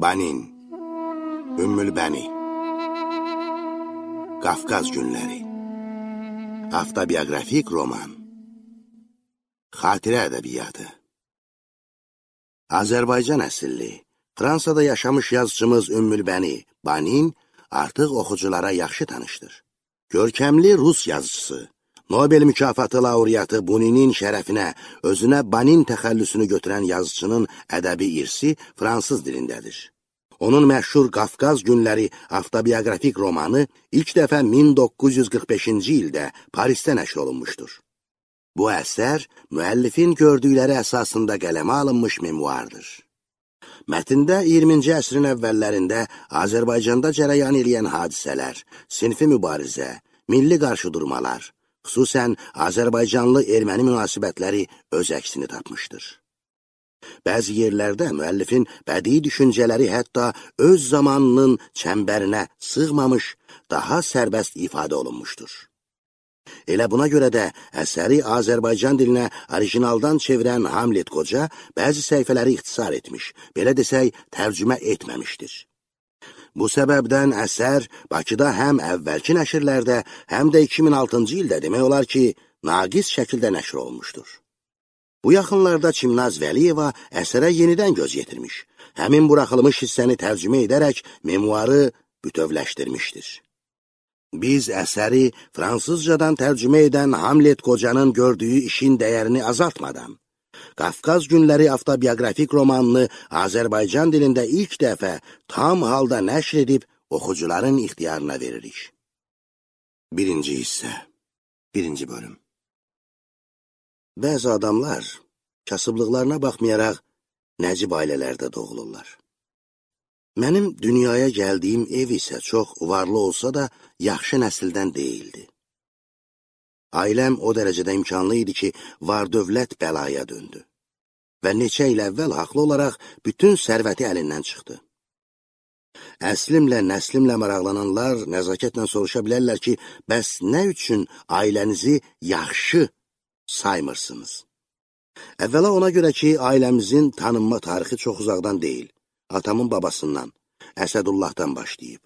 Banin, Ümmülbəni, Qafqaz günləri, avtobiografik roman, xatirə ədəbiyyatı. Azərbaycan əsilli, Fransada yaşamış yazıcımız Ümmülbəni, Banin artıq oxuculara yaxşı tanışdır. Görkəmli Rus yazıcısı, Nobel mükafatı laureatı Buninin şərəfinə özünə Banin təxəllüsünü götürən yazıcının ədəbi irsi fransız dilindədir. Onun məşhur Qafqaz günləri avtobiografik romanı ilk dəfə 1945-ci ildə Parisdə nəşr olunmuşdur. Bu əsər müəllifin gördükləri əsasında qələmə alınmış memuardır. Mətndə 20-ci əsrin əvvəllərində Azərbaycanda cərəyan edən hadisələr, sinfi mübarizə, milli qarşıdurmalar, xüsusən Azərbaycanlı-erməni münasibətləri öz əksini tapmışdır. Bəzi yerlərdə müəllifin bədii düşüncələri hətta öz zamanının çəmbərinə sığmamış, daha sərbəst ifadə olunmuşdur. Elə buna görə də əsəri Azərbaycan dilinə orijinaldan çevirən Hamlet Qoca bəzi səhifələri ixtisar etmiş, belə desək, tərcümə etməmişdir. Bu səbəbdən əsər Bakıda həm əvvəlki nəşrlərdə, həm də 2006-cı ildə demək olar ki, naqis şəkildə nəşr olunmuşdur. Bu yaxınlarda Çimnaz Vəliyeva əsərə yenidən göz yetirmiş, həmin buraxılmış hissəni tərcümə edərək memuarı bütövləşdirmişdir. Biz əsəri fransızcadan tərcümə edən Hamlet Qocanın gördüyü işin dəyərini azaltmadan, Qafqaz günləri avtobiografik romanını Azərbaycan dilində ilk dəfə tam halda nəşr edib oxucuların ixtiyarına veririk. Birinci hissə, birinci bölüm. Bəzi adamlar kasıblıqlarına baxmayaraq nəcib ailələrdə doğulurlar. Mənim dünyaya gəldiyim ev isə çox varlı olsa da yaxşı nəsildən deyildi. Ailəm o dərəcədə imkanlı idi ki, var-dövlət bəlaya döndü və neçə il əvvəl haqlı olaraq bütün sərvəti əlindən çıxdı. Əslimlə, nəslimlə maraqlananlar nəzakətlə soruşa bilərlər ki, bəs nə üçün ailənizi yaxşı saymırsınız? Əvvəla ona görə ki, ailəmizin tanınma tarixi çox uzaqdan deyil, atamın babasından, Əsədullahdan başlayıb.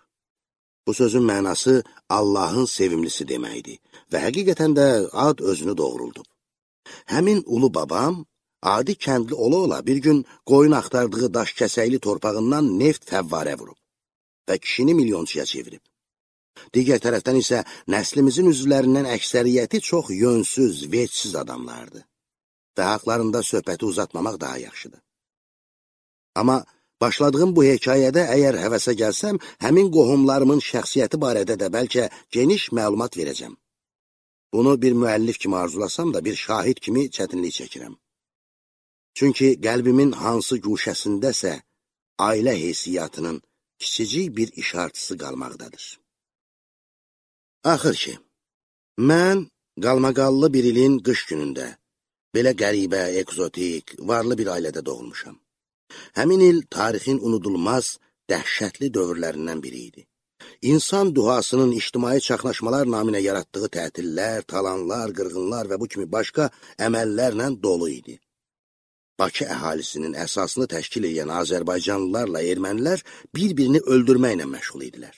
Bu sözün mənası Allahın sevimlisi deməkdir və həqiqətən də ad özünü doğruldub. Həmin ulu babam, adi kəndli ola-ola bir gün qoyun axtardığı daş kəsəkli torpağından neft fəvvarə vurub və kişini milyonçuya çevirib. Digər tərəfdən isə nəslimizin üzvlərindən əksəriyyəti çox yönsüz, vecsiz adamlardı və haqlarında söhbəti uzatmamaq daha yaxşıdır. Amma başladığım bu hekayədə əgər həvəsə gəlsəm, həmin qohumlarımın şəxsiyyəti barədə də bəlkə geniş məlumat verəcəm. Bunu bir müəllif kimi arzulasam da bir şahid kimi çətinlik çəkirəm. Çünki qəlbimin hansı guşəsindəsə ailə heysiyyatının kiçicik bir işartısı qalmaqdadır. Axır ki, mən qalmaqallı bir ilin qış günündə, belə qəribə, ekzotik, varlı bir ailədə doğulmuşam. Həmin il tarixin unudulmaz, dəhşətli dövrlərindən biri idi. İnsan duhasının ictimai çaxnaşmalar naminə yaratdığı tətillər, talanlar, qırğınlar və bu kimi başqa əməllərlə dolu idi. Bakı əhalisinin əsasını təşkil edən Azərbaycanlılarla ermənilər bir-birini öldürməklə məşğul idilər.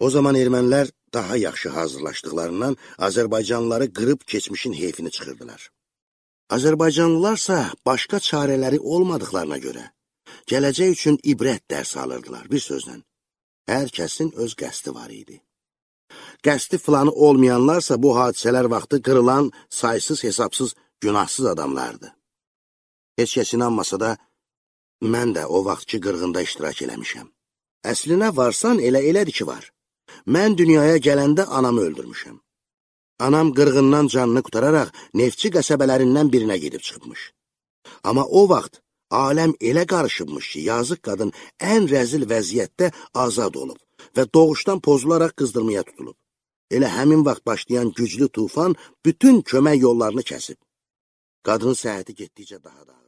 O zaman ermənilər daha yaxşı hazırlaşdıqlarından Azərbaycanlıları qırıb keçmişin heyfini çıxırdılar. Azərbaycanlılarsa başqa çarələri olmadıqlarına görə gələcək üçün ibrət dərs alırdılar, bir sözlə. Hər kəsin öz qəsdi var idi. Qəsdi filanı olmayanlarsa bu hadisələr vaxtı qırılan saysız hesabsız günahsız adamlardı. Heç kəs inanmasa da mən də o vaxtki qırğında iştirak eləmişəm. Əslinə varsan elədir ki var. Mən dünyaya gələndə anamı öldürmüşəm. Anam qırğından canını qutararaq neftçi qəsəbələrindən birinə gedib çıxmış. Amma o vaxt aləm elə qarışıbmış ki, yazıq qadın ən rəzil vəziyyətdə azad olub və doğuşdan pozularaq qızdırmaya tutulub. Elə həmin vaxt başlayan güclü tufan bütün kömək yollarını kəsib. Qadının səhhəti getdikcə daha da